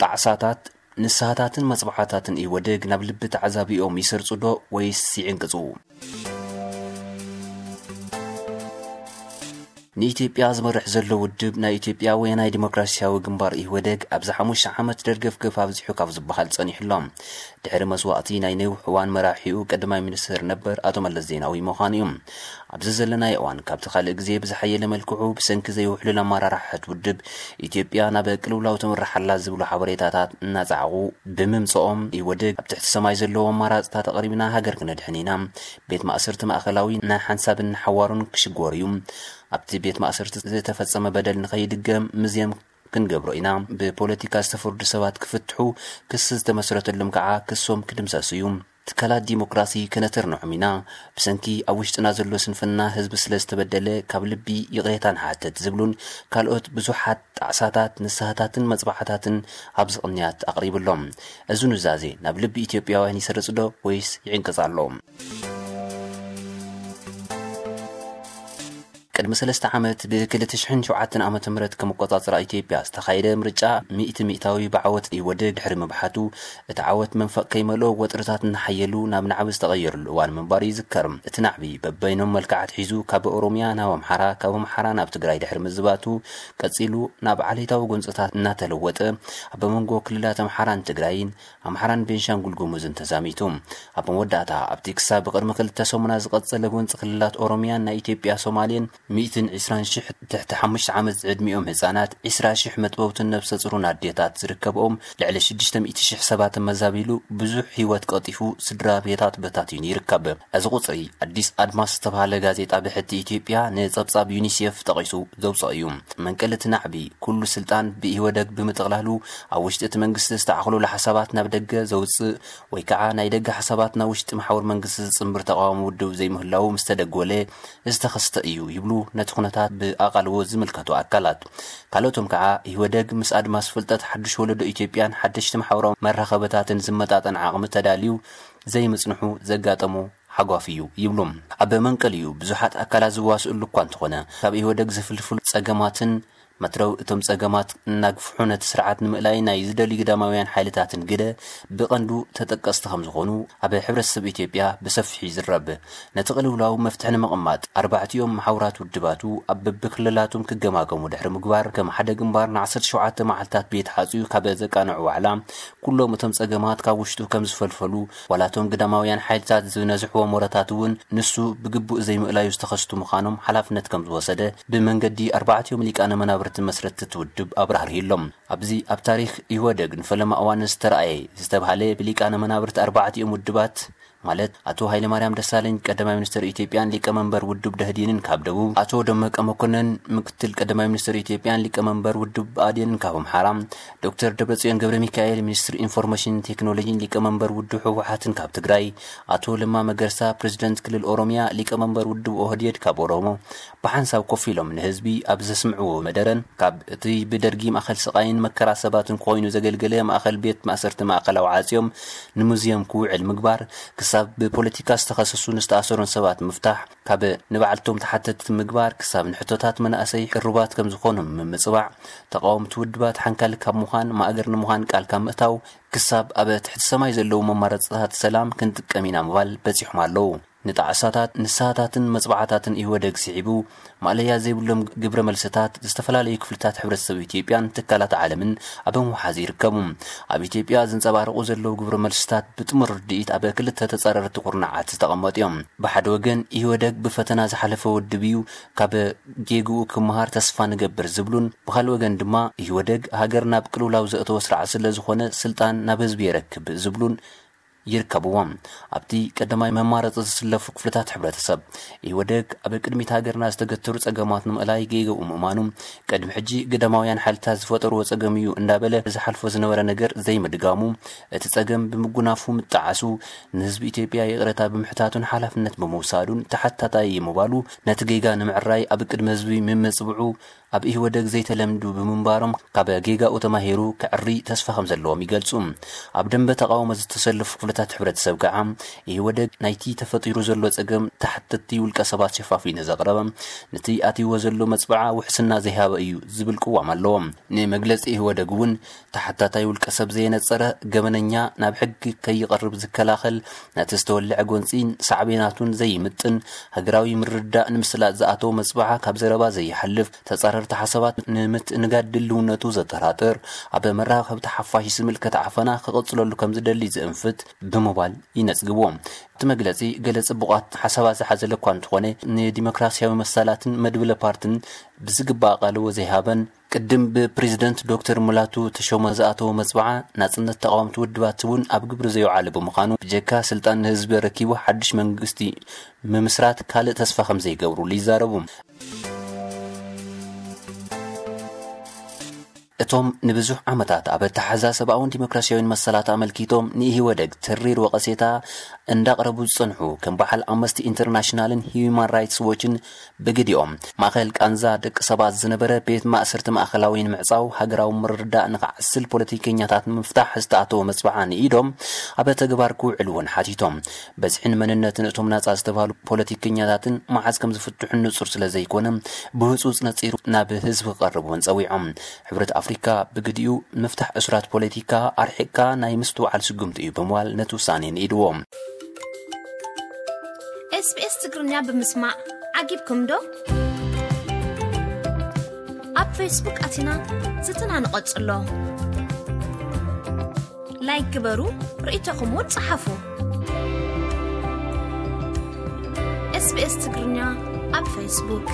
ጣዕሳታት፣ ንስሃታትን መጽባዕታትን ኢህወደግ ናብ ልቢ ተዓዛቢኦም ይሰርጹ ዶ ወይስ ይዕንቅጹ? ንኢትዮጵያ ዝመርሕ ዘሎ ውድብ ናይ ኢትዮጵያ ወያናይ ዲሞክራሲያዊ ግንባር ኢህወደግ ኣብዚ ሓሙሽተ ዓመት ደርገፍገፍ ኣብዚሑ ካብ ዝበሃል ጸኒሑ ኣሎ። ድሕሪ መስዋእቲ ናይ ነዊሕ እዋን መራሒኡ ቀዳማይ ሚኒስትር ነበር ኣቶ መለስ ዜናዊ ምዃኑ እዩ። ኣብዚ ዘለናዮ እዋን ካብቲ ካልእ ግዜ ብዝሓየለ መልክዑ ብሰንኪ ዘይውሕሉል ኣመራርሓ እቲ ውድብ ኢትዮጵያ ናብ ቅልውላው ትምራሕ ኣላ ዝብሉ ሓበሬታታት እናጸዓቑ ብምምጽኦም ኢህወደግ ኣብ ትሕቲ ሰማይ ዘለዉ ኣማራጽታት ኣቕሪብና ሃገር ክነድሕን ኢና። ቤት ማእሰርቲ ማእከላዊ ናይ ሓንሳብን ሓዋሩን ክሽጎር እዩ። ኣብቲ ቤት ማእሰርቲ ዝተፈጸመ በደል ንኸይድገም ምዝየም ክንገብሮ ኢና። ብፖለቲካ ዝተፈርዱ ሰባት ክፍትሑ፣ ክሲ ዝተመስረተሎም ከዓ ክሶም ክድምሰሱ እዩ። ትካላት ዲሞክራሲ ከነተርንዖም ኢና። ብሰንኪ ኣብ ውሽጥና ዘሎ ስንፍና ህዝቢ ስለ ዝተበደለ ካብ ልቢ ይቕሬታ ንሓትት ዝብሉን ካልኦት ብዙሓት ጣዕሳታት፣ ንስሃታትን መጽባዕታትን ኣብዚ ቅንያት ኣቕሪቡ ኣሎ። እዚ ኑዛዜ ናብ ልቢ ኢትዮጵያውያን ይሰርጽ ዶ ወይስ ይዕንቅጽ ኣሎ? ቅድሚ ሰለስተ ዓመት ብ ክልተ ሽሕን ሸውዓተን ዓመተ ምህረት ከም ኣቆጻጽራ ኢትዮጵያ ዝተኻየደ ምርጫ ሚእቲ ሚእታዊ ብዓወት ኢህወደግ ድሕሪ ምብሓቱ፣ እቲ ዓወት መንፈቕ ከይመልኦ ወጥርታት እናሓየሉ ናብ ናዕቢ ዝተቐየሩሉ እዋን ምንባሩ ይዝከር። እቲ ናዕቢ በበይኖም መልክዓት ሒዙ ካብ ኦሮሚያ ናብ ኣምሓራ፣ ካብ ኣምሓራ ናብ ትግራይ ድሕሪ ምዝባቱ ቀጺሉ ናብ ዓሌታዊ ጎንጽታት እናተለወጠ ኣብ መንጎ ክልላት ኣምሓራን ትግራይን ኣምሓራን ቤንሻንጉል ጉሙዝን ተዛሚቱ። ኣብ መወዳእታ ኣብቲ ክሳብ ቅድሚ ክልተ ሰሙና ዝቐጸለ ጎንጺ ክልላት ኦሮሚያን ናይ ኢትዮጵያ ሶማሌን ሚእትን ዕስራን ሽሕ ትሕቲ ሓሙሽተ ዓመት ዝዕድሚኦም ህጻናት፣ ዕስራ ሽሕ መጥበውትን ነብሰ ጹሩን ኣዴታት ዝርከብኦም ልዕሊ ሽዱሽተ ሚእቲ ሽሕ ሰባት ተመዛቢሉ ብዙሕ ህይወት ቀጢፉ ስድራ ቤታት በታቲኑ ይርከብ። እዚ ቁጽሪ ኣዲስ ኣድማስ ዝተባህለ ጋዜጣ ብሕቲ ኢትዮጵያ ንጸብጻብ ዩኒሴፍ ጠቒሱ ዘውጽኦ እዩ። መንቀሊ እቲ ናዕቢ ኩሉ ስልጣን ብኢህወደግ ብምጥቕላሉ ኣብ ውሽጢ እቲ መንግስቲ ዝተዓኹለሉ ሓሳባት ናብ ደገ ዘውጽእ ወይ ከዓ ናይ ደገ ሓሳባት ናብ ውሽጢ መሓውር መንግስቲ ዝጽንብር ተቓዋሚ ውድብ ዘይምህላዉ ምስ ተደጎለ ዝተኸስተ እዩ ይብሉ ነቲ ኩነታት ብኣቓልቦ ዝምልከቱ ኣካላት። ካልኦቶም ከዓ ኢህወደግ ምስ ኣድማስ ፍልጠት ሓድሽ ወለዶ ኢትዮጵያን ሓደሽቲ ማሕበራዊ መራኸበታትን ዝመጣጠን ዓቕሚ ተዳልዩ ዘይምጽንሑ ዘጋጠሞ ሓጓፍ እዩ ይብሉ። ኣብ መንቀሊኡ ብዙሓት ኣካላት ዝዋስእሉ እኳ እንተኾነ፣ ካብ ኢህወደግ ዝፍልፍሉ ጸገማትን መትረው እቶም ጸገማት እናግፍሑ ነቲ ስርዓት ንምእላይ ናይ ዝደልዩ ግዳማውያን ሓይልታትን ግደ ብቐንዱ ተጠቀስቲ ከም ዝኾኑ ኣብ ሕብረተሰብ ኢትዮጵያ ብሰፊሑ ይዝረብ። ነቲ ቅልውላው መፍትሒ ንምቕማጥ ኣርባዕቲኦም መሓውራት ውድባቱ ኣብ በብክልላቶም ክገማገሙ ድሕሪ ምግባር ከም ሓደ ግንባር ንዓሰርተ ሸውዓተ መዓልታት ቤት ሓጽዩ ካብ ዘቃንዑ ዋዕላ ኩሎም እቶም ጸገማት ካብ ውሽጡ ከም ዝፈልፈሉ ዋላ እቶም ግዳማውያን ሓይልታት ዝነዝሕዎ ሞረታት እውን ንሱ ብግቡእ ዘይምእላዩ ዝተኸስቱ ምዃኖም ሓላፍነት ከም ዝወሰደ ብመንገዲ ኣርባዕቲኦም ሊቃነ መናብርቲ መስረትቲ እቲ ውድብ ኣብራህርሂሎም። ኣብዚ ኣብ ታሪኽ ኢህወደግ ንፈለማ እዋን ዝተረኣየ ዝተባህለ ብሊቃነ መናብርቲ ኣርባዕቲኦም ውድባት ማለት ኣቶ ሃይለማርያም ደሳለኝ ቀዳማይ ሚኒስትር ኢትዮጵያን ሊቀመንበር ውድብ ደህዴንን ካብ ደቡብ፣ ኣቶ ደመቀ መኮንን ምክትል ቀዳማይ ሚኒስትር ኢትዮጵያን ሊቀመንበር ውድብ ብኣዴንን ካብ ኣምሓራ፣ ዶክተር ደብረጽዮን ገብረ ሚካኤል ሚኒስትር ኢንፎርሜሽን ቴክኖሎጂን ሊቀመንበር ውድብ ህወሓትን ካብ ትግራይ፣ ኣቶ ለማ መገርሳ ፕሬዚደንት ክልል ኦሮሚያ ሊቀመንበር ውድብ ኦህዴድ ካብ ኦሮሞ ብሓንሳብ ኮፍ ኢሎም ንህዝቢ ኣብ ዘስምዕዎ መደረን ካብ እቲ ብደርጊ ማእኸል ስቓይን መከራ ሰባትን ኮይኑ ዘገልገለ ማእኸል ቤት ማእሰርቲ ማእከላዊ ዓፅዮም ንሙዝየም ክውዕል ምግባር ክሳብ ብፖለቲካ ዝተኸሰሱን ዝተኣሰሩን ሰባት ምፍታሕ ካብ ንባዕልቶም ተሓተትቲ ምግባር ክሳብ ንሕቶታት መናእሰይ ቅሩባት ከም ዝኾኑ ምምፅባዕ፣ ተቓወምቲ ውድባት ሓንካል ካብ ምዃን ማእገር ንምዃን ቃል ካብ ምእታው ክሳብ ኣብ ትሕቲ ሰማይ ዘለዉ መማረፅታት ሰላም ክንጥቀም ኢና ምባል በፂሖም ኣለዉ። ንጣዕሳታት ንስሃታትን መፅባዕታትን ኢህወደግ ስዒቡ ማእለያ ዘይብሎም ግብረ መልስታት ዝተፈላለዩ ክፍልታት ሕብረተሰብ ኢትዮጵያን ትካላት ዓለምን ኣብ ምውሓዝ ይርከቡ። ኣብ ኢትዮጵያ ዝንፀባረቑ ዘለዉ ግብረ መልስታት ብጥሙር ርድኢት ኣብ ክልተ ተፃረርቲ ኩርናዓት ዝተቐመጡ እዮም። ብሓደ ወገን ኢህወደግ ብፈተና ዝሓለፈ ውድብ እዩ፣ ካብ ጌግኡ ክመሃር ተስፋ ንገብር ዝብሉን ብኻልእ ወገን ድማ ኢህወደግ ሃገር ናብ ቅልውላው ዘእተወ ስርዓት ስለ ዝኾነ ስልጣን ናብ ህዝቢ የረክብ ዝብሉን ይርከብዎም። ኣብቲ ቀዳማይ መማረፂ ዝስለፉ ክፍልታት ሕብረተሰብ ኢህወደግ ኣብ ቅድሚት ሃገርና ዝተገተሩ ፀገማት ንምእላይ ጌግኡ ምእማኑ ቅድሚ ሕጂ ግዳማውያን ሓይልታት ዝፈጠርዎ ፀገም እዩ እንዳበለ ዝሓልፎ ዝነበረ ነገር ዘይምድጋሙ እቲ ፀገም ብምጉናፉ ምጣዓሱ ንህዝቢ ኢትዮጵያ ይቕረታ ብምሕታቱን ሓላፍነት ብምውሳዱን ተሓታታይ እዩ ምባሉ ነቲ ጌጋ ንምዕራይ ኣብ ቅድሚ ህዝቢ ምምፅብዑ ኣብ ኢህወደግ ዘይተለምዱ ብምንባሮም፣ ካብ ጌጋኡ ተማሂሩ ክዕሪ ተስፋ ከም ዘለዎም ይገልጹ። ኣብ ደንበ ተቓውሞ ዝተሰለፉ ክፍልታት ሕብረተሰብ ከዓ፣ ኢህወደግ ናይቲ ተፈጢሩ ዘሎ ጸገም ተሓተትቲ ውልቀ ሰባት ሸፋፊኑ ዘቕረበ፣ ነቲ ኣትይዎ ዘሎ መጽብዓ ውሕስና ዘይሃበ እዩ ዝብል ቅዋም ኣለዎም። ንመግለጺ ኢህወደግ እውን፣ ተሓታታይ ውልቀ ሰብ ዘየነጸረ፣ ገበነኛ ናብ ሕጊ ከይቐርብ ዝከላኸል፣ ነቲ ዝተወልዐ ጎንጺን ሳዕቤናቱን ዘይምጥን፣ ሃገራዊ ምርድዳእ ንምስላጥ ዝኣተወ መጽብዓ ካብ ዘረባ ዘይሓልፍ፣ ተጻረርቲ ሓሳባት ንምትእንጋድ ድልውነቱ ዘጠራጥር፣ ኣብ መራኸብቲ ሓፋሽ ዝምልከት ዓፈና ክቕጽለሉ ከም ዝደሊ ዝእንፍት ብምባል ይነጽግዎ። እቲ መግለጺ፣ ገለ ጽቡቓት ሓሳባት ዝሓዘለ እኳ እንተኾነ፣ ንዲሞክራሲያዊ መሰላትን መድብለ ፓርትን ብዝግባእ ኣቓልቦ ዘይሃበን፣ ቅድም ብፕሬዝደንት ዶክተር ሙላቱ ተሾመ ዝኣተወ መጽብዓ፣ ናጽነት ተቓወምቲ ውድባት እውን ኣብ ግብሪ ዘይውዓለ ብምዃኑ፣ ብጀካ ስልጣን ንህዝቢ ረኪቡ ሓድሽ መንግስቲ ምምስራት ካልእ ተስፋ ከም ዘይገብሩሉ ይዛረቡ። እቶም ንብዙሕ ዓመታት ኣብ ኣተሓዛ ሰብኣውን ዲሞክራሲያዊን መሰላት ኣመልኪቶም ንኢህወደግ ተሪር ወቐሴታ እንዳቕረቡ ዝጸንሑ፣ ከም በዓል ኣምነስቲ ኢንተርናሽናልን ሂዩማን ራይትስ ዎችን፣ ብግዲኦም፣ ማእከል ቃንዛ ደቂ ሰባት ዝነበረ ቤት ማእሰርቲ ማእከላዊ ንምዕጻው፣ ሃገራዊ ምርድዳእ ንኽዓስል፣ ፖለቲከኛታት ንምፍታሕ ዝተኣተወ መጽብዓ ንኢዶም፣ ኣብ ተግባር ክውዕል እውን ሓቲቶም። በዝሕን መንነትን እቶም ናጻ ዝተባህሉ ፖለቲከኛታትን መዓዝ ከም ዝፍትሑን ንጹር ስለ ዘይኮነ፣ ብህጹጽ ነጺሩ ናብ ህዝቢ ክቐርብ እውን ጸዊዖም። ሕብረት ኣፍሪካ ብግዲኡ፣ ምፍታሕ እሱራት ፖለቲካ ኣርሒቕካ ናይ ምስትውዓል ስጉምቲ እዩ ብምባል ነቲ ውሳኔ ንኢድዎ። SBS ትግርኛ ብምስማዕ ዓጊብኩም ዶ? ኣብ ፌስቡክ ኣቲና ዝትና ንቐጽሎ። ላይክ ግበሩ፣ ርእይቶኹም እውን ጸሓፉ። SBS ትግርኛ ኣብ ፌስቡክ።